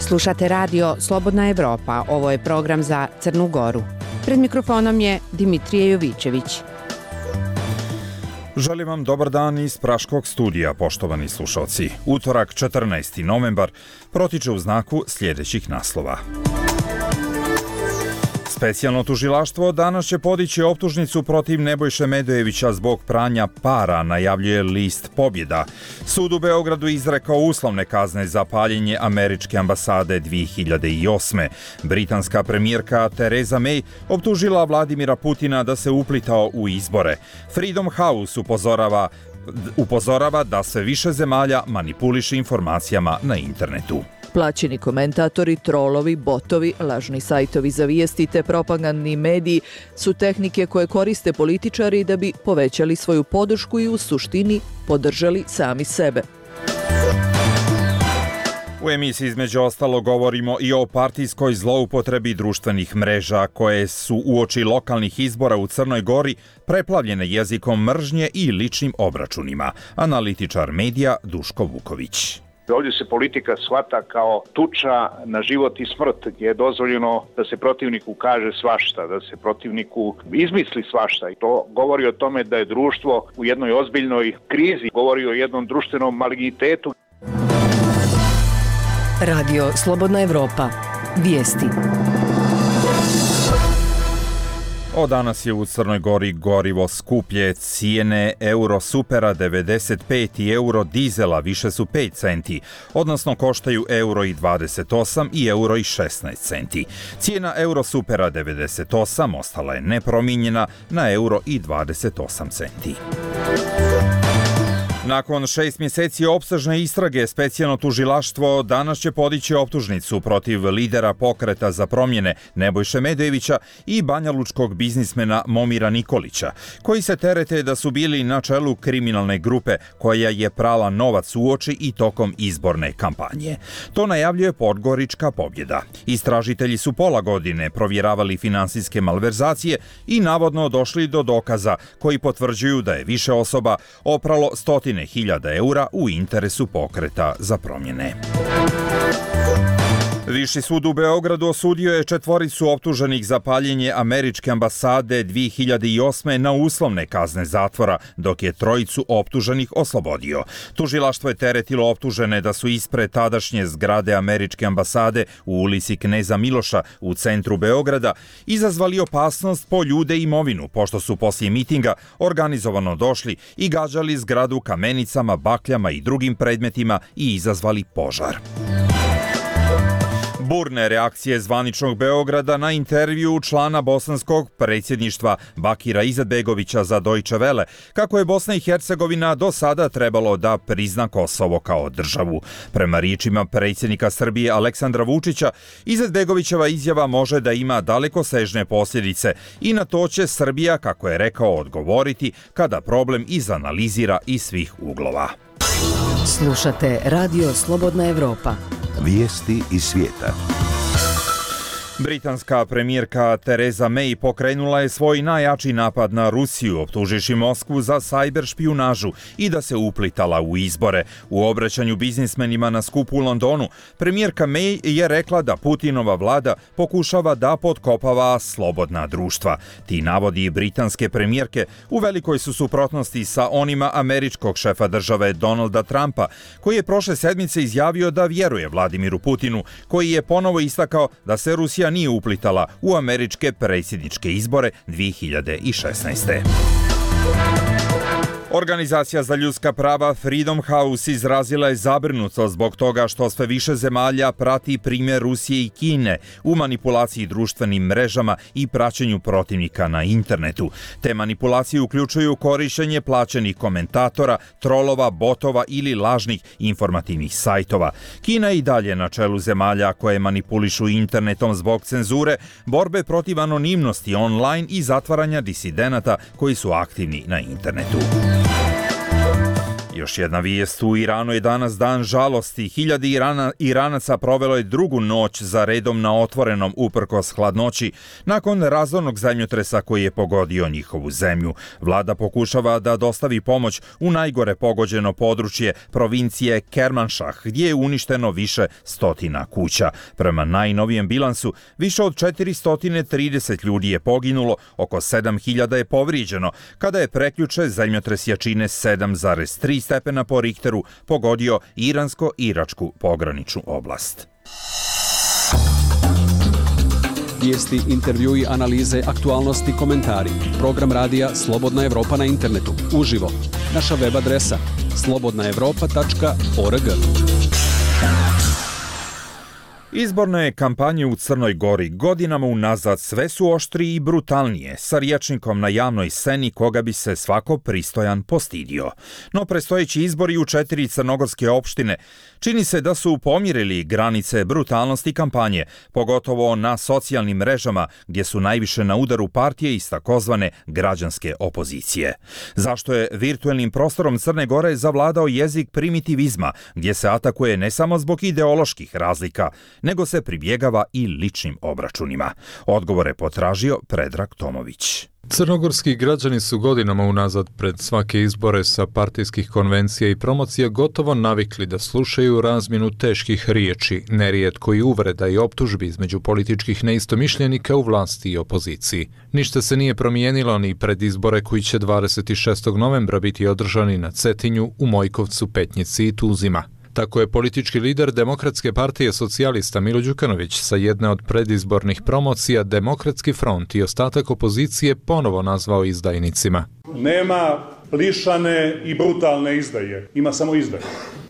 Slušate radio Slobodna Evropa, ovo je program za Crnu Goru. Pred mikrofonom je Dimitrije Jovićević. Želim vam dobar dan iz Praškog studija, poštovani slušalci. Utorak, 14. novembar, protiče u znaku sljedećih naslova. Specijalno tužilaštvo danas će podići optužnicu protiv Nebojše Medojevića zbog pranja para, najavljuje list Pobjeda. Sud u Beogradu izrekao uslovne kazne za paljenje američke ambasade 2008. Britanska premijerka Theresa May optužila Vladimira Putina da se uplitao u izbore. Freedom House upozorava da sve više zemalja manipuliše informacijama na internetu. Plaćeni komentatori, trolovi, botovi, lažni sajtovi za vijesti te propagandni mediji su tehnike koje koriste političari da bi povećali svoju podršku i u suštini podržali sami sebe. U emisiji između ostalo govorimo i o partijskoj zloupotrebi društvenih mreža koje su uoči lokalnih izbora u Crnoj Gori preplavljene jezikom mržnje i ličnim obračunima. Analitičar medija Duško Vuković. Ovdje se politika shvata kao tuča na život i smrt, gdje je dozvoljeno da se protivniku kaže svašta, da se protivniku izmisli svašta. I to govori o tome da je društvo u jednoj ozbiljnoj krizi, govori o jednom društvenom malignitetu. Radio Slobodna Evropa. Vijesti. Od danas je u Crnoj Gori gorivo skuplje, cijene euro supera 95 i euro dizela više su 5 centi, odnosno koštaju euro i 28 i euro i 16 centi. Cijena euro supera 98 ostala je nepromijenjena na euro i 28 centi. Nakon 6 mjeseci opsežne istrage, specijalno tužilaštvo danas će podići optužnicu protiv lidera Pokreta za promjene Nebojše Medojevića i banjalučkog biznismena Momira Nikolića, koji se terete da su bili na čelu kriminalne grupe koja je prala novac uoči i tokom izborne kampanje. To najavljuje Podgorička Pobjeda. Istražitelji su pola godine provjeravali finansijske malverzacije i navodno došli do dokaza koji potvrđuju da je više osoba opralo 100.000 eura u interesu Pokreta za promjene. Viši sud u Beogradu osudio je 4 optuženih za paljenje američke ambasade 2008. na uslovne kazne zatvora, dok je 3 optuženih oslobodio. Tužilaštvo je teretilo optužene da su ispred tadašnje zgrade američke ambasade u ulici Kneza Miloša u centru Beograda izazvali opasnost po ljude i imovinu, pošto su poslije mitinga organizovano došli i gađali zgradu kamenicama, bakljama i drugim predmetima i izazvali požar. Burne reakcije zvaničnog Beograda na intervju člana bosanskog predsjedništva Bakira Izetbegovića za Deutsche Welle, kako je Bosna i Hercegovina do sada trebalo da prizna Kosovo kao državu. Prema riječima predsjednika Srbije Aleksandra Vučića, Izetbegovićeva izjava može da ima dalekosežne posljedice i na to će Srbija, kako je rekao, odgovoriti kada problem izanalizira iz svih uglova. Slušate Radio Slobodna Evropa. Vijesti iz svijeta. Britanska premijerka Theresa May pokrenula je svoj najjači napad na Rusiju, optuživši Moskvu za sajber špijunažu i da se uplitala u izbore. U obraćanju biznismenima na skupu u Londonu, premijerka May je rekla da Putinova vlada pokušava da potkopava slobodna društva. Ti navodi britanske premijerke u velikoj su suprotnosti sa onima američkog šefa države Donalda Trumpa, koji je prošle sedmice izjavio da vjeruje Vladimiru Putinu, koji je ponovo istakao da se Rusija nije uplitala u američke predsjedničke izbore 2016. Organizacija za ljudska prava Freedom House izrazila je zabrinutost zbog toga što sve više zemalja prati primjer Rusije i Kine u manipulaciji društvenim mrežama i praćenju protivnika na internetu. Te manipulacije uključuju korištenje plaćenih komentatora, trolova, botova ili lažnih informativnih sajtova. Kina je i dalje na čelu zemalja koje manipulišu internetom zbog cenzure, borbe protiv anonimnosti online i zatvaranja disidenata koji su aktivni na internetu. Još jedna vijest: u Iranu je danas dan žalosti. Hiljade Iranaca provelo je drugu noć za redom na otvorenom uprkos hladnoći nakon razornog zemljotresa koji je pogodio njihovu zemlju. Vlada pokušava da dostavi pomoć u najgore pogođeno područje provincije Kermanšah, gdje je uništeno više stotina kuća. Prema najnovijem bilansu, više od 430 ljudi je poginulo, oko 7000 je povrijeđeno, kada je prekjuče zemljotres jačine 7,3 stepena po Richteru pogodio iransko-iračku pograničnu oblast. Vijesti, intervjui, analize, aktualnosti, komentari. Program radija Slobodna Evropa na internetu. Uživo. Naša web adresa slobodnaevropa.org. Izborne kampanje u Crnoj Gori godinama unazad sve su oštrije i brutalnije, sa rječnikom na javnoj sceni koga bi se svako pristojan postidio. No predstojeći izbori u 4 crnogorske opštine čini se da su pomjerili granice brutalnosti kampanje, pogotovo na socijalnim mrežama gdje su najviše na udaru partije iz takozvane građanske opozicije. Zašto je virtuelnim prostorom Crne Gore zavladao jezik primitivizma, gdje se atakuje ne samo zbog ideoloških razlika, nego se pribjegava i ličnim obračunima? Odgovore potražio Predrag Tomović. Crnogorski građani su godinama unazad pred svake izbore sa partijskih konvencija i promocija gotovo navikli da slušaju razmjenu teških riječi, nerijetko i uvreda i optužbi između političkih neistomišljenika u vlasti i opoziciji. Ništa se nije promijenilo ni pred izbore koji će 26. novembra biti održani na Cetinju, u Mojkovcu, Petnici i Tuzima. Tako je politički lider Demokratske partije socijalista Milo Đukanović sa jedne od predizbornih promocija Demokratski front i ostatak opozicije ponovo nazvao izdajnicima. Nema lišane i brutalne izdaje, ima samo izdaje.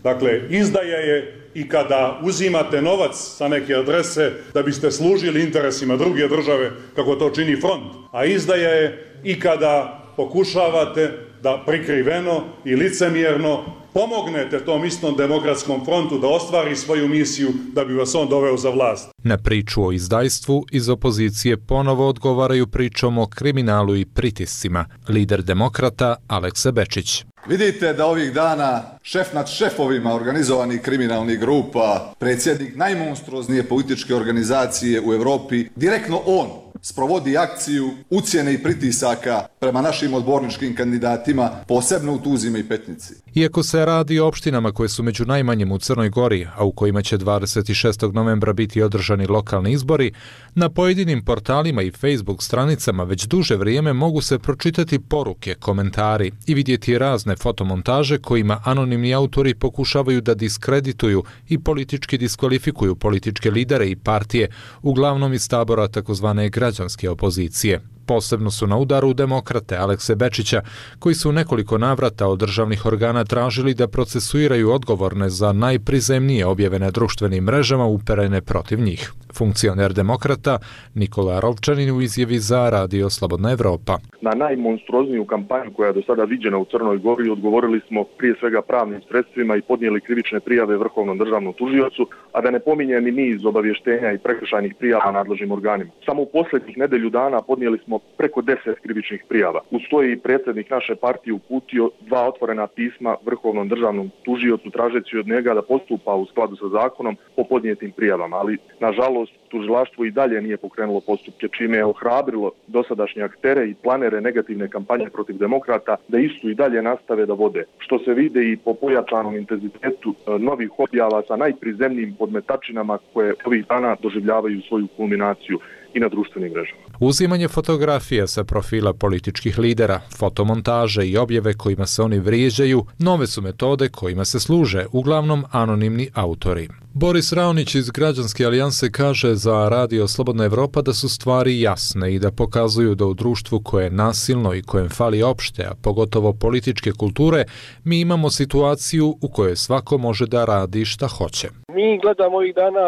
Dakle, izdaja je i kada uzimate novac sa neke adrese da biste služili interesima druge države, kako to čini front. A izdaja je i kada pokušavate da prikriveno i licemjerno pomognete tom istom Demokratskom frontu da ostvari svoju misiju da bi vas on doveo za vlast. Na priču o izdajstvu iz opozicije ponovo odgovaraju pričom o kriminalu i pritiscima. Lider demokrata Aleksa Bečić. Vidite da ovih dana šef nad šefovima organizovanih kriminalnih grupa, predsjednik najmonstruoznije političke organizacije u Europi, direktno on sprovodi akciju ucjene i pritisaka prema našim odborničkim kandidatima, posebno u Tuzima i Petnici. Iako se radi o opštinama koje su među najmanjim u Crnoj Gori, a u kojima će 26. novembra biti održani lokalni izbori, na pojedinim portalima i Facebook stranicama već duže vrijeme mogu se pročitati poruke, komentari i vidjeti razne fotomontaže kojima anonimni autori pokušavaju da diskredituju i politički diskvalifikuju političke lidere i partije, uglavnom iz tabora takozvane građanske opozicije. Posebno su na udaru demokrate Alekse Bečića, koji su u nekoliko navrata od državnih organa tražili da procesuiraju odgovorne za najprizemnije objave na društvenim mrežama uperene protiv njih. Funkcioner demokrata Nikola Rovčanin u izjavi za Radio Slobodna Evropa. Na najmonstruozniju kampanju koja je do sada viđena u Crnoj Gori odgovorili smo prije svega pravnim sredstvima i podnijeli krivične prijave Vrhovnom državnom tužiocu, a da ne pominjem i niz obavještenja i prekršajnih prijava nadležnim organima. Samo u posljednjih nedelju dana podnijeli smo preko 10 krivičnih prijava. Uz to je i predsjednik naše partije uputio 2 otvorena pisma Vrhovnom državnom tužiocu tražeći od njega da postupa u skladu sa zakonom po podnijetim prijavama, ali nažalost tužilaštvo i dalje nije pokrenulo postupke, čime je ohrabrilo dosadašnje aktere i planere negativne kampanje protiv demokrata da istu i dalje nastave da vode, što se vide i po pojačanom intenzitetu novih objava sa najprizemnijim podmetačinama koje ovih dana doživljavaju svoju kulminaciju i na društvenim mrežama. Uzimanje fotografija sa profila političkih lidera, fotomontaže i objave kojima se oni vrijeđaju, nove su metode kojima se služe, uglavnom anonimni autori. Boris Raonić iz Građanske alijanse kaže za Radio Slobodna Evropa da su stvari jasne i da pokazuju da u društvu koje je nasilno i kojem fali opšte, a pogotovo političke kulture, mi imamo situaciju u kojoj svako može da radi šta hoće. Mi gledamo ovih dana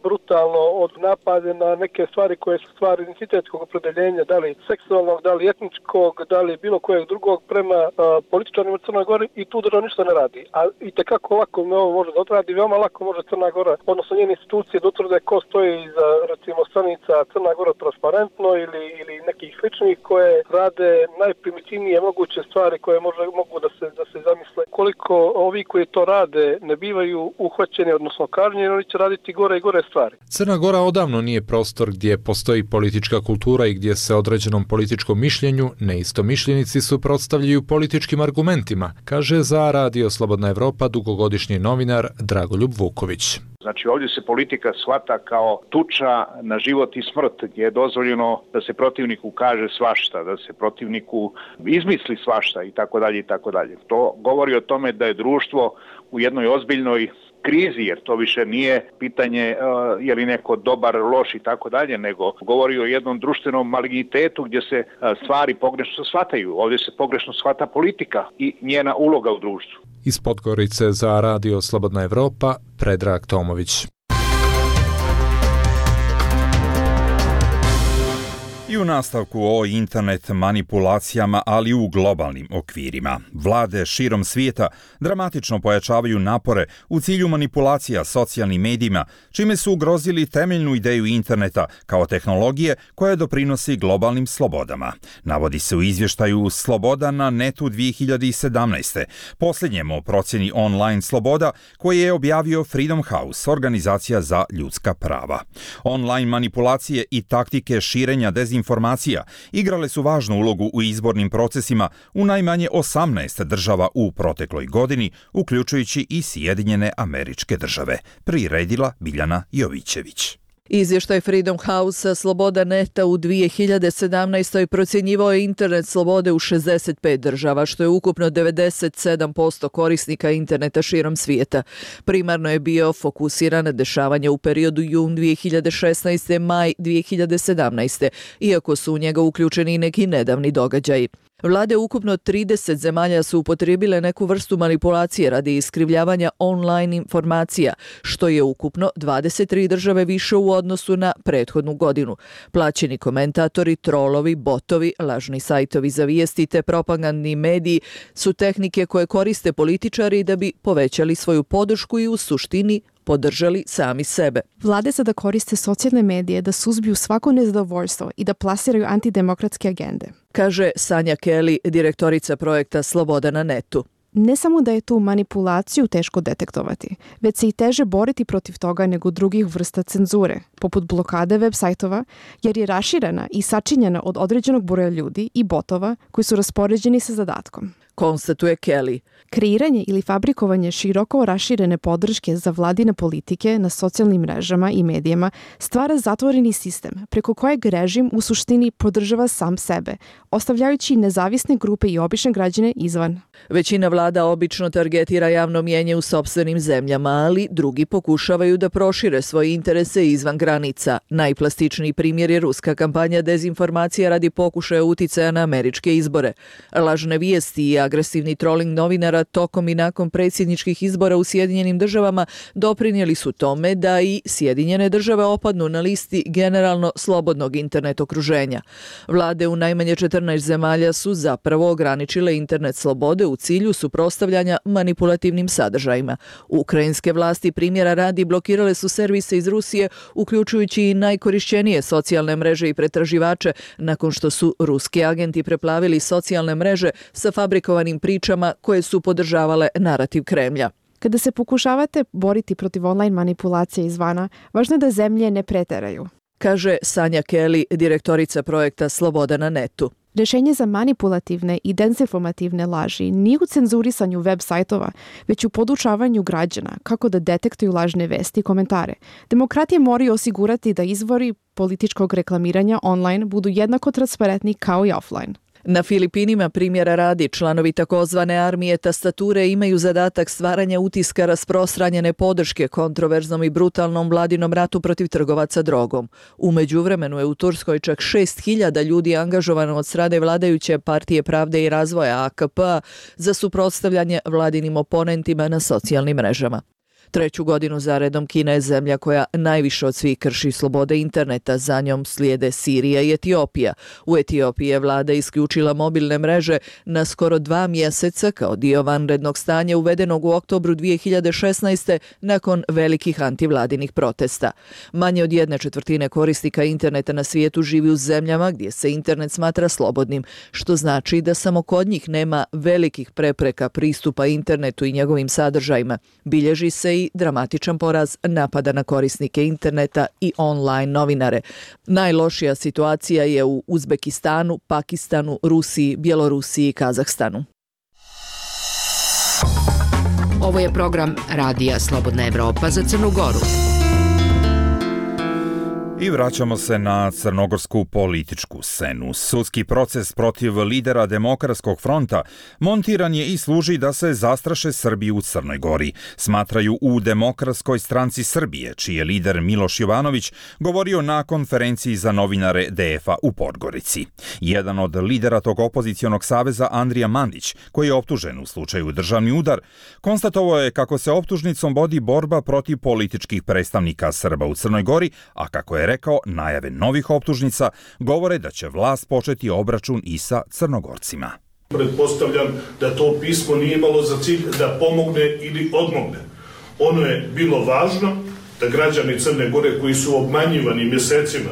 brutalno od napade na neke stvari koje su stvari identitetskog opredeljenja, da li seksualnog, da li etničkog, da li bilo kojeg drugog prema političarima u Crnoj Gori i tu država ništa ne radi. A i tekako lako ovo može da odradi, veoma lako može Crna Gora, odnosno njene institucije da utvrde ko stoji iza, recimo, stranica Crna Gora transparentno ili nekih sličnih koje rade najprimitivnije moguće stvari koje mogu da se zamisle. ukoliko ovi koji to rade ne bivaju uhvaćeni, odnosno kažnjeni, oni će raditi gore i gore stvari. Crna Gora odavno nije prostor gdje postoji politička kultura i gdje se određenom političkom mišljenju neistomišljenici suprotstavljaju političkim argumentima, kaže za Radio Slobodna Evropa dugogodišnji novinar Dragoljub Vuković. Znači ovdje se politika shvata kao tuča na život i smrt, gdje je dozvoljeno da se protivniku kaže svašta, da se protivniku izmisli svašta i tako dalje i tako dalje. To govori o tome da je društvo u jednoj ozbiljnoj krizi, jer to više nije pitanje je li neko dobar, loš i tako dalje, nego govori o jednom društvenom malignitetu gdje se stvari pogrešno shvataju. Ovdje se pogrešno shvata politika i njena uloga u društvu. Iz Podgorice za Radio Slobodna Evropa, Predrag Tomović. I u nastavku o internet manipulacijama, ali u globalnim okvirima. Vlade širom svijeta dramatično pojačavaju napore u cilju manipulacija socijalnim medijima, čime su ugrozili temeljnu ideju interneta kao tehnologije koja doprinosi globalnim slobodama. Navodi se u izvještaju Sloboda na netu 2017. Posljednjem o procjeni online sloboda koje je objavio Freedom House, organizacija za ljudska prava. Online manipulacije i taktike širenja dezinformacija igrale su važnu ulogu u izbornim procesima u najmanje 18 država u protekloj godini, uključujući i Sjedinjene Američke Države, priredila Biljana Jovićević. Izvještaj Freedom House Sloboda neta u 2017. procjenjivao je internet slobode u 65 država, što je ukupno 97% korisnika interneta širom svijeta. Primarno je bio fokusiran na dešavanja u periodu jun 2016. maj 2017. iako su u njega uključeni i neki nedavni događaji. Vlade ukupno 30 zemalja su upotrijebile neku vrstu manipulacije radi iskrivljavanja online informacija, što je ukupno 23 države više u odnosu na prethodnu godinu. Plaćeni komentatori, trolovi, botovi, lažni sajtovi za vijesti te propagandni mediji su tehnike koje koriste političari da bi povećali svoju podršku i u suštini podržali sami sebe. Vlade sada koriste socijalne medije da suzbiju svako nezadovoljstvo i da plasiraju antidemokratske agende, kaže Sanja Kelly, direktorica projekta Sloboda na netu. Ne samo da je tu manipulaciju teško detektovati, već se i teže boriti protiv toga nego drugih vrsta cenzure, poput blokade web sajtova, jer je raširena i sačinjena od određenog broja ljudi i botova koji su raspoređeni sa zadatkom, konstatuje Kelly. Kreiranje ili fabrikovanje široko raširene podrške za vladine politike na socijalnim mrežama i medijima stvara zatvoreni sistem preko kojeg režim u suštini podržava sam sebe, ostavljajući nezavisne grupe i obične građane izvan. Većina vlada obično targetira javno mnijenje u sopstvenim zemljama, ali drugi pokušavaju da prošire svoje interese izvan granica. Najplastičniji primjer je ruska kampanja dezinformacija radi pokušaja uticaja na američke izbore. Lažne vijesti i agresivni trolling novinara tokom i nakon predsjedničkih izbora u Sjedinjenim državama doprinijeli su tome da i Sjedinjene države opadnu na listi generalno slobodnog internet okruženja. Vlade u najmanje 14 zemalja su zapravo ograničile internet slobode u cilju suprotstavljanja manipulativnim sadržajima. Ukrajinske vlasti primjera radi blokirale su servise iz Rusije, uključujući i najkorišćenije socijalne mreže i pretraživače, nakon što su ruski agenti preplavili socijalne mreže sa fabrikovanim pričama koje su podržavale narativ Kremlja. Kada se pokušavate boriti protiv online manipulacije izvana, važno je da zemlje ne preteraju, kaže Sanja Kelly, direktorica projekta Sloboda na netu. Rješenje za manipulativne i dezinformativne laži nije u cenzurisanju web sajtova, već u podučavanju građana kako da detektuju lažne vesti i komentare. Demokratije moraju osigurati da izvori političkog reklamiranja online budu jednako transparentni kao i offline. Na Filipinima, primjera radi, članovi takozvane armije tastature imaju zadatak stvaranja utiska rasprostranjene podrške kontroverznom i brutalnom vladinom ratu protiv trgovaca drogom. U međuvremenu je u Turskoj čak 6.000 ljudi angažovano od strane vladajuće Partije pravde i razvoja AKP za suprotstavljanje vladinim oponentima na socijalnim mrežama. Treću godinu zaredom Kina je zemlja koja najviše od svih krši slobode interneta, za njom slijede Sirija i Etiopija. U Etiopiji je vlada isključila mobilne mreže na skoro 2 mjeseca kao dio vanrednog stanja uvedenog u oktobru 2016. nakon velikih antivladinih protesta. Manje od 1/4 korisnika interneta na svijetu živi u zemljama gdje se internet smatra slobodnim, što znači da samo kod njih nema velikih prepreka pristupa internetu i njegovim sadržajima. Bilježi se i dramatičan porast napada na korisnike interneta i online novinare. Najlošija situacija je u Uzbekistanu, Pakistanu, Rusiji, Bjelorusiji i Kazahstanu. Ovo je program Radija Slobodna Evropa za Crnu Goru. I vraćamo se na crnogorsku političku scenu. Sudski proces protiv lidera Demokratskog fronta montiran je i služi da se zastraše Srbi u Crnoj Gori, smatraju u Demokratskoj stranci Srbije, čiji je lider Miloš Jovanović govorio na konferenciji za novinare DF-a u Podgorici. Jedan od lidera tog opozicionog saveza, Andrija Mandić, koji je optužen u slučaju državni udar, konstatovao je kako se optužnicom vodi borba protiv političkih predstavnika Srba u Crnoj Gori, a kako je rekao, najave novih optužnica govore da će vlast početi obračun i sa Crnogorcima. Pretpostavljam da to pismo nije imalo za cilj da pomogne ili odmogne. Ono je bilo važno da građani Crne Gore koji su obmanjivani mjesecima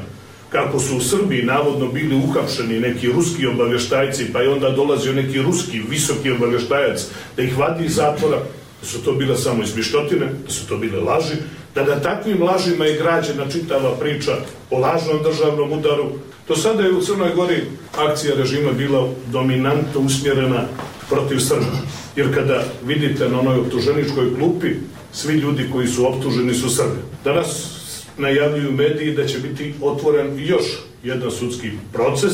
kako su u Srbiji navodno bili uhapšeni neki ruski obavještajci, pa je onda dolazio neki ruski visoki obavještajac da ih vadi iz zatvora, da su to bile samo izmišljotine, da su to bile laži, da na takvim lažima je građena čitava priča o lažnom državnom udaru. Do sada je u Crnoj Gori akcija režima bila dominantno usmjerena protiv Srba. Jer kada vidite na onoj optuženičkoj klupi, svi ljudi koji su optuženi su Srbi. Danas najavljuju mediji da će biti otvoren još jedan sudski proces,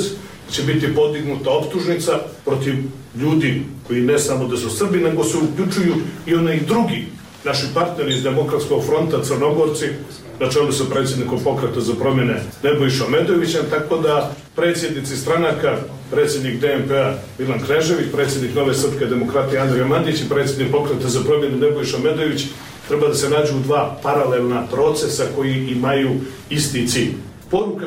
će biti podignuta optužnica protiv ljudi koji ne samo da su Srbi, nego se uključuju i onaj drugi naši partneri iz Demokratskog fronta, Crnogorci, na čelu sa predsjednikom Pokreta za promjene Nebojšom Medojevićem, tako da predsjednici stranaka, predsjednik DNP-a Milan Knežević, predsjednik Nove srpske demokratije Andrija Mandić i predsjednik Pokreta za promjene Nebojša Medojević treba da se nađu u dva paralelna procesa koji imaju isti cilj. Poruka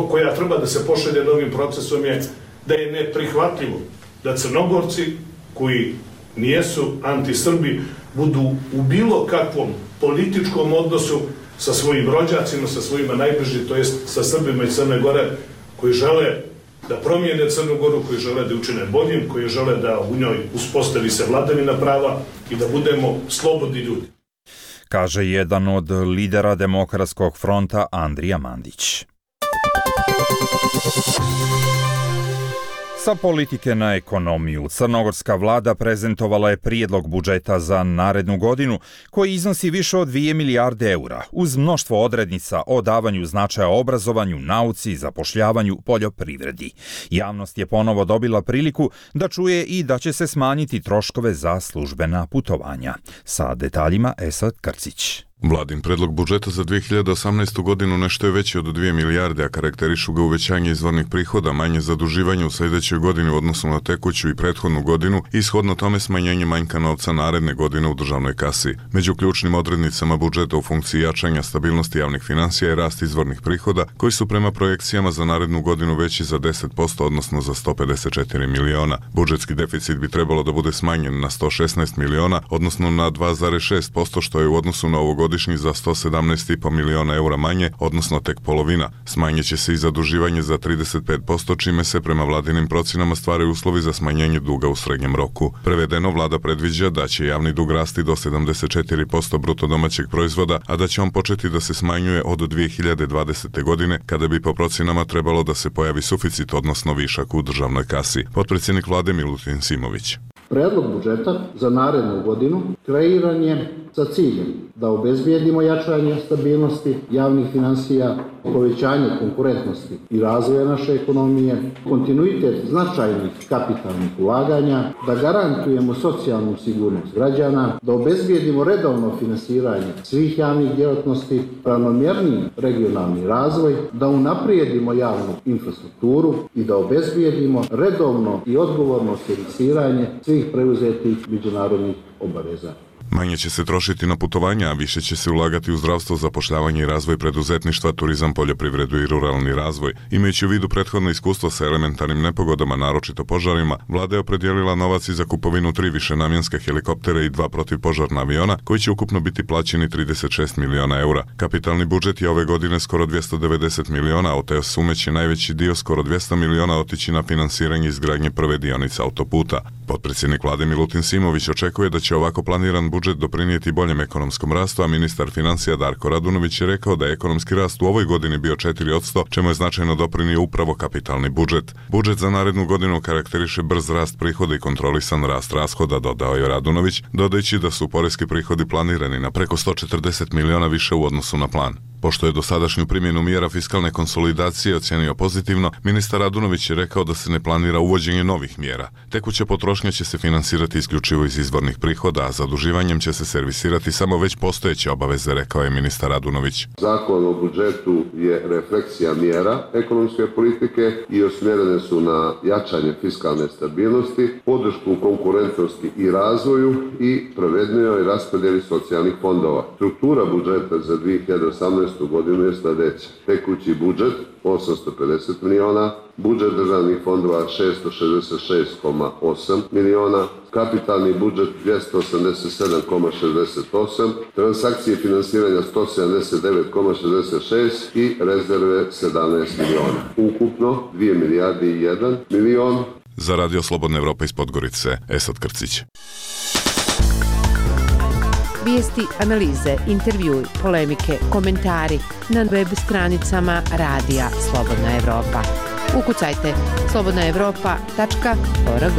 koja treba da se pošalje novim procesom je da je neprihvatljivo da Crnogorci koji nijesu anti-Srbi budu u bilo kakvom političkom odnosu sa svojim rođacima, sa svojima najbližim, to jest sa Srbima iz Crne Gore koji žele da promijene Crnu Goru, koji žele da učine boljim, koji žele da u njoj uspostavi se vladavina prava i da budemo slobodni ljudi. Kaže jedan od lidera Demokratskog fronta Andrija Mandić. Sa politike na ekonomiju, crnogorska vlada prezentovala je prijedlog budžeta za narednu godinu koji iznosi više od 2 milijarde eura, uz mnoštvo odrednica o davanju značaja obrazovanju, nauci, zapošljavanju, poljoprivredi. Javnost je ponovo dobila priliku da čuje i da će se smanjiti troškove za službena putovanja. Sa detaljima Esad Krcić. Vladin predlog budžeta za 2018. godinu nešto je veći od 2 milijarde, a karakterišu ga uvećanje izvornih prihoda, manje zaduživanje u sljedećoj godini u odnosu na tekuću i prethodnu godinu i shodno tome smanjenje manjka novca naredne godine u državnoj kasi. Među ključnim odrednicama budžeta u funkciji jačanja stabilnosti javnih financija je rast izvornih prihoda, koji su prema projekcijama za narednu godinu veći za 10%, odnosno za 154 miliona. Budžetski deficit bi trebalo da bude smanjen na 116 miliona, odnosno na 2,6%, što je u odnosu na ovogodišnji za 117,5 miliona eura manje, odnosno tek polovina. Smanjit će se i zaduživanje za 35%, čime se prema vladinim procenama stvaraju uslovi za smanjenje duga u srednjem roku. Prevedeno, vlada predviđa da će javni dug rasti do 74% bruto domaćeg proizvoda, a da će on početi da se smanjuje od 2020. godine, kada bi po procenama trebalo da se pojavi suficit, odnosno višak u državnoj kasi. Potpredsjednik vlade Milutin Simović. Predlog budžeta za narednu godinu kreiran je sa ciljem da obezbijedimo jačanje stabilnosti javnih finansija, povećanje konkurentnosti i razvoja naše ekonomije, kontinuitet značajnih kapitalnih ulaganja, da garantujemo socijalnu sigurnost građana, da obezbijedimo redovno finansiranje svih javnih djelatnosti, ravnomjerniji regionalni razvoj, da unaprijedimo javnu infrastrukturu i da obezbijedimo redovno i odgovorno servisiranje svih preuzetih međunarodnih obaveza. Manje će se trošiti na putovanja, a više će se ulagati u zdravstvo, zapošljavanje i razvoj preduzetništva, turizam, poljoprivredu i ruralni razvoj. Imajući u vidu prethodno iskustvo sa elementarnim nepogodama, naročito požarima, vlada je opredijelila novac i za kupovinu 3 višenamjenska helikoptera i 2 protivpožarna aviona, koji će ukupno biti plaćeni 36 miliona eura. Kapitalni budžet je ove godine skoro 290 miliona, a od te sume će najveći dio, skoro 200 miliona, otići na finansiranje izgradnje prve dionice autoputa. Potpredsjednik vlade Milutin Simović očekuje da će ovako planiran budžet doprinijeti boljem ekonomskom rastu, a ministar financija Darko Radunović je rekao da je ekonomski rast u ovoj godini bio 4%, čemu je značajno doprinio upravo kapitalni budžet. Budžet za narednu godinu karakteriše brz rast prihoda i kontrolisan rast rashoda, dodao je Radunović, dodajući da su poreski prihodi planirani na preko 140 miliona više u odnosu na plan. Pošto je dosadašnju primjenu mjera fiskalne konsolidacije ocenio pozitivno, ministar Radunović je rekao da se ne planira uvođenje novih mjera. Tekuća potrošnja će se finansirati isključivo iz izvornih prihoda, a zaduživanjem će se servisirati samo već postojeće obaveze, rekao je ministar Radunović. Zakon o budžetu je refleksija mjera ekonomske politike i usmjerene su na jačanje fiskalne stabilnosti, podršku konkurentnosti i razvoju i pravednijoj raspodjeli socijalnih fondova. Struktura budžeta za 2018. godinu je sljedeća. Tekući budžet 850 miliona, budžet državnih fondova 666,8 miliona, kapitalni budžet 287,68, transakcije finansiranja 179,66 i rezerve 17 miliona. Ukupno 2 milijarde i 1 milion. Za Radio Slobodna Evropa iz Podgorice, Esad Krcić. Vijesti, analize, intervjui, polemike, komentari na web stranicama Radija Slobodna Evropa. Ukucajte slobodnaevropa.org.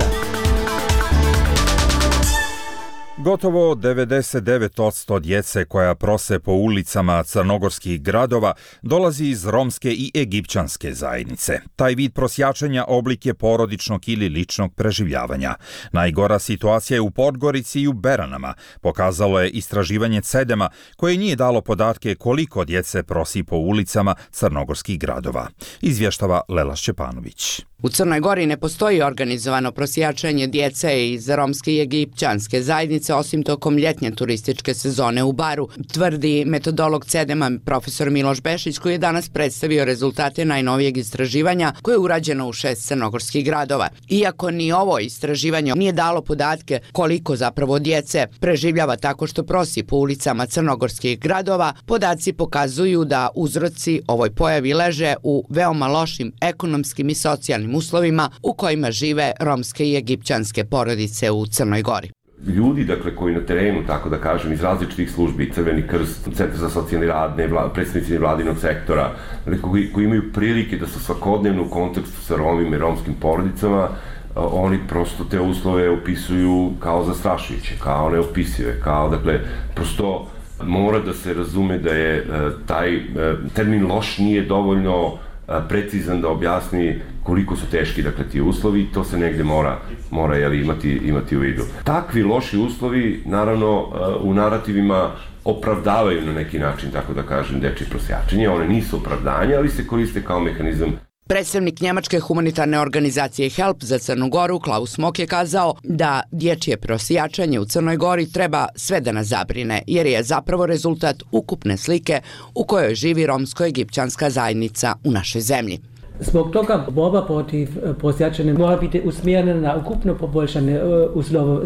Gotovo 99% djece koja prose po ulicama crnogorskih gradova dolazi iz romske i egipćanske zajednice. Taj vid prosjačenja oblik je porodičnog ili ličnog preživljavanja. Najgora situacija je u Podgorici i u Beranama, pokazalo je istraživanje CEDEM-a koje nije dalo podatke koliko djece prosi po ulicama crnogorskih gradova. Izvještava Lela Šćepanović. U Crnoj Gori ne postoji organizovano prosjačenje djece iz romske i egipćanske zajednice osim tokom ljetnje turističke sezone u Baru, tvrdi metodolog CEDEM-a profesor Miloš Bešić, koji je danas predstavio rezultate najnovijeg istraživanja koje je urađeno u 6 crnogorskih gradova. Iako ni ovo istraživanje nije dalo podatke koliko zapravo djece preživljava tako što prosi po ulicama crnogorskih gradova, podaci pokazuju da uzroci ovoj pojavi leže u veoma lošim ekonomskim i socijalnim uslovima u kojima žive romske i egipćanske porodice u Crnoj Gori. Ljudi, dakle, koji na terenu, tako da kažem, iz različitih službi, Crveni krst, Centar za socijalni rad, predstavnici nevladinog sektora, koji imaju prilike da su svakodnevno u kontekstu sa Romima i romskim porodicama, oni prosto te uslove opisuju kao zastrašujuće, kao neopisive, kao, dakle, prosto mora da se razume da je taj termin loš nije dovoljno precizan da objasni koliko su teški, dakle, ti uslovi, to se negde mora imati u vidu. Takvi loši uslovi, naravno, u narativima opravdavaju na neki način, tako da kažem, dečje prosjačenje. One nisu opravdanje, ali se koriste kao mehanizam. Predstavnik njemačke humanitarne organizacije HELP za Crnu Goru, Klaus Mok, je kazao da dječje prosjačanje u Crnoj Gori treba sve da nas zabrine, jer je zapravo rezultat ukupne slike u kojoj živi romsko-egipćanska zajednica u našoj zemlji. Zbog toga borba protiv prosjačenja mora biti usmjerena na ukupno poboljšanje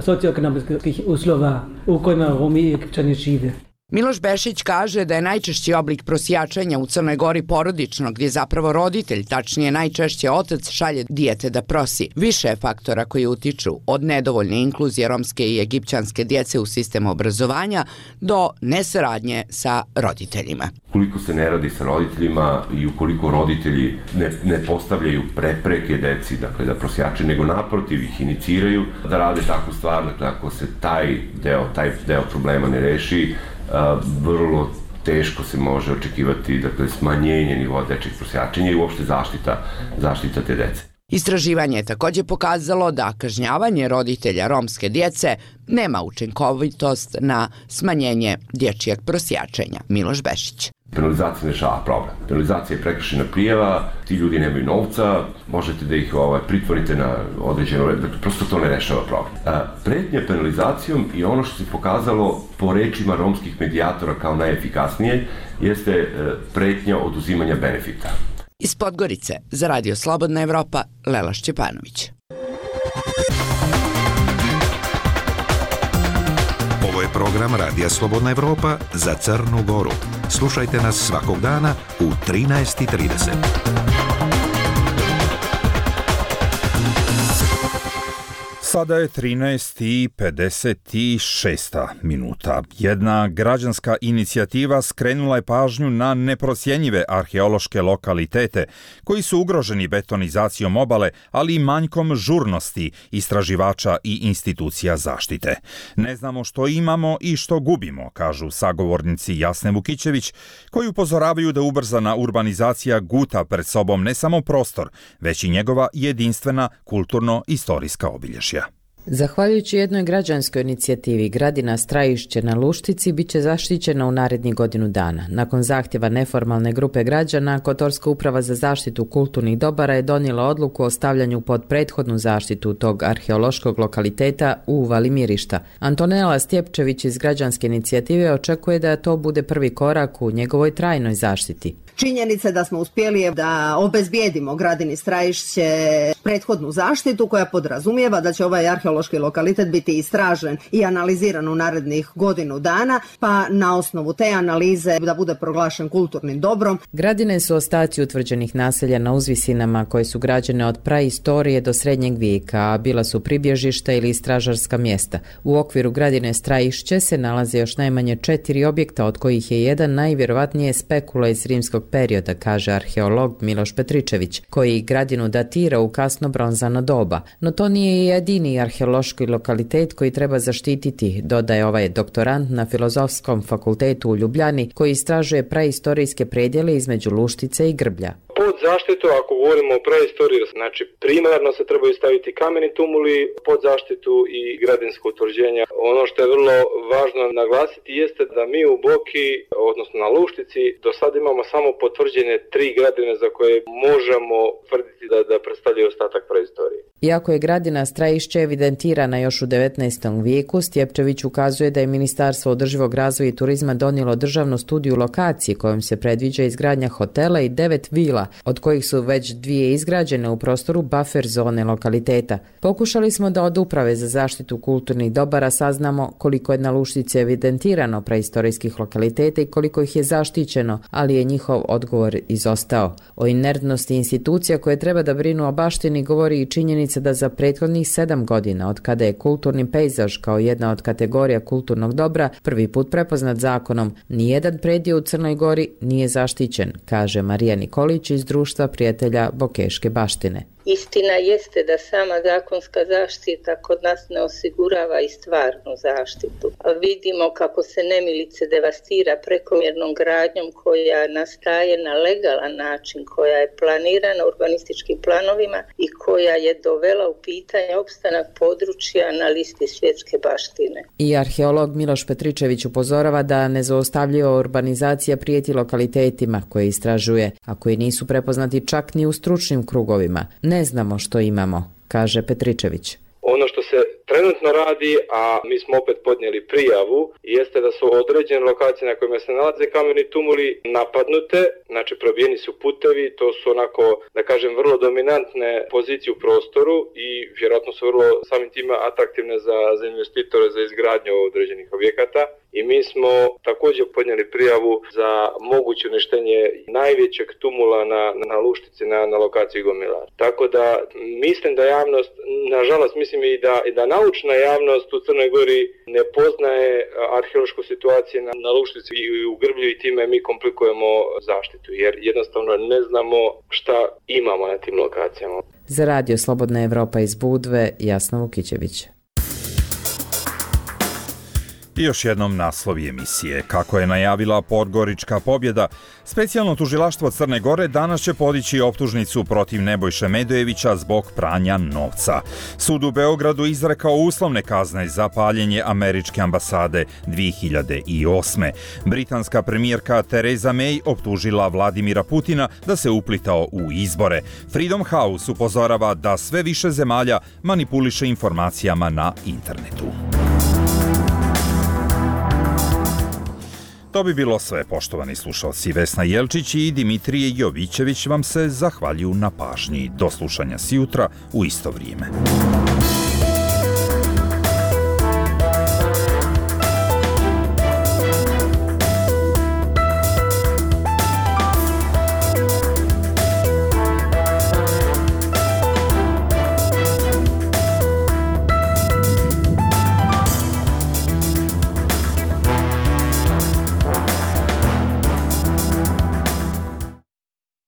socioekonomskih uslova u kojima Romi i Egipćani žive. Miloš Bešić kaže da je najčešći oblik prosjačenja u Crnoj Gori porodično, gdje zapravo roditelj, tačnije najčešće otac, šalje dijete da prosi. Više je faktora koji utiču od nedovoljne inkluzije romske i egipćanske djece u sistemu obrazovanja do nesaradnje sa roditeljima. Ukoliko se ne radi sa roditeljima i ukoliko roditelji ne postavljaju prepreke deci, dakle, da prosjače, nego naprotiv ih iniciraju da rade takvu stvar, dakle, ako se taj deo problema ne reši, vrlo teško se može očekivati, dakle, smanjenje nivoa dečjeg prosjačenja i uopšte zaštita te dece. Istraživanje je također pokazalo da kažnjavanje roditelja romske djece nema učinkovitost na smanjenje dječjeg prosjačenja. Miloš Bešić. Penalizacija ne rešava problem. Penalizacija je prekršena prijava, ti ljudi nemaju novca, možete da ih pritvorite na određeno vreme, prosto to ne rešava problem. Pretnja penalizacijom i ono što se pokazalo po rečima romskih medijatora kao najefikasnije jeste pretnja oduzimanja benefita. Iz Podgorice za Radio Slobodna Evropa, Lela Šćepanović. Ovo je program Radija Slobodna Evropa za Crnu Goru. Slušajte nas svakog dana u 13:30. Sada je 13:56 minuta. Jedna građanska inicijativa skrenula je pažnju na neprocjenjive arheološke lokalitete koji su ugroženi betonizacijom obale, ali i manjkom žurnosti istraživača i institucija zaštite. Ne znamo što imamo i što gubimo, kažu sagovornici Jasne Vukićević, koji upozoravaju da ubrzana urbanizacija guta pred sobom ne samo prostor, već i njegova jedinstvena kulturno-istorijska obilježja. Zahvaljujući jednoj građanskoj inicijativi, Gradina Strajišće na Luštici bit će zaštićena u narednih godinu dana. Nakon zahtjeva neformalne grupe građana, Kotorska uprava za zaštitu kulturnih dobara je donijela odluku o stavljanju pod prethodnu zaštitu tog arheološkog lokaliteta u Uvali Mirišta. Antonela Stjepčević iz građanske inicijative očekuje da to bude prvi korak u njegovoj trajnoj zaštiti. Činjenica da smo uspjeli da obezbijedimo Gradini Strajišće prethodnu zaštitu koja podrazumijeva da će ovaj arheološki lokalitet biti istražen i analiziran u narednih godinu dana, pa na osnovu te analize da bude proglašen kulturnim dobrom. Gradine su ostaci utvrđenih naselja na uzvisinama koje su građene od praistorije do srednjeg vijeka, a bila su pribježišta ili istražarska mjesta. U okviru Gradine Strajišće se nalaze još najmanje 4 objekta, od kojih je jedan najvjerovatnije spekula iz rimskog perioda, kaže arheolog Miloš Petričević, koji Gradinu datira u kasno bronzano doba. No to nije jedini arheološki lokalitet koji treba zaštititi, dodaje ovaj doktorant na Filozofskom fakultetu u Ljubljani, koji istražuje praistorijske predjele između Luštice i Grblja. Pod zaštitu, ako govorimo o praistoriji, znači primarno se trebaju staviti kameni tumuli, pod zaštitu i gradinsko utvrđenje. Ono što je vrlo važno naglasiti jeste da mi u Boki, odnosno na Luštici, do sada imamo samo potvrđene 3 gradine za koje možemo tvrditi da predstavljaju ostatak praistorije. Iako je Gradina Strajišće evidentirana još u 19. vijeku, Stjepčević ukazuje da je Ministarstvo održivog razvoja i turizma donijelo državnu studiju lokacije kojom se predviđa izgradnja hotela i 9 vila, od kojih su već 2 izgrađene u prostoru buffer zone lokaliteta. Pokušali smo da od Uprave za zaštitu kulturnih dobara saznamo koliko je na Luštici evidentirano praistorijskih lokaliteta i koliko ih je zaštićeno, ali je njihov odgovor izostao. O inertnosti institucija koje treba da brinu o baštini govori i činjenica da za prethodnih 7 godina, od kada je kulturni pejzaž kao jedna od kategorija kulturnog dobra prvi put prepoznat zakonom, nijedan preddio u Crnoj Gori nije zaštićen, kaže Marija Nikolić iz Društva prijatelja Bokeške baštine. Istina jeste da sama zakonska zaštita kod nas ne osigurava i stvarnu zaštitu. Vidimo kako se nemilice devastira prekomjernom gradnjom koja nastaje na legalan način, koja je planirana urbanističkim planovima i koja je dovela u pitanje opstanak područja na listi svjetske baštine. I arheolog Miloš Petričević upozorava da nezaustavljiva urbanizacija prijeti lokalitetima koje istražuje, a koji nisu prepoznati čak ni u stručnim krugovima. Ne znamo što imamo, kaže Petričević. Ono što se trenutno radi, a mi smo opet podnijeli prijavu, jeste da su određene lokacije na kojima se nalaze kameni tumuli napadnute, znači probijeni su putevi, to su onako, da kažem, vrlo dominantne pozicije u prostoru i vjerojatno su vrlo samim time atraktivne za investitore za izgradnju određenih objekata. I mi smo također podnijeli prijavu za moguće uništenje najvećeg tumula na Luštici na lokaciji Gomilar. Tako da mislim da javnost, nažalost mislim i da naučna javnost u Crnoj Gori ne poznaje arheološku situaciju na Luštici i u Grblju i time mi komplikujemo zaštitu jer jednostavno ne znamo šta imamo na tim lokacijama. Za Radio Slobodna Evropa iz Budve, Jasna Vukićević. I još jednom naslovi emisije. Kako je najavila Podgorička pobjeda, specijalno tužilaštvo Crne Gore danas će podići optužnicu protiv Nebojše Medojevića zbog pranja novca. Sud u Beogradu izrekao uslovne kazne za paljenje američke ambasade 2008. Britanska premijerka Theresa May optužila Vladimira Putina da se uplitao u izbore. Freedom House upozorava da sve više zemalja manipuliše informacijama na internetu. To bi bilo sve, poštovani slušalci. Vesna Jelčić i Dimitrije Jovićević vam se zahvaljuju na pažnji. Do slušanja sjutra u isto vrijeme.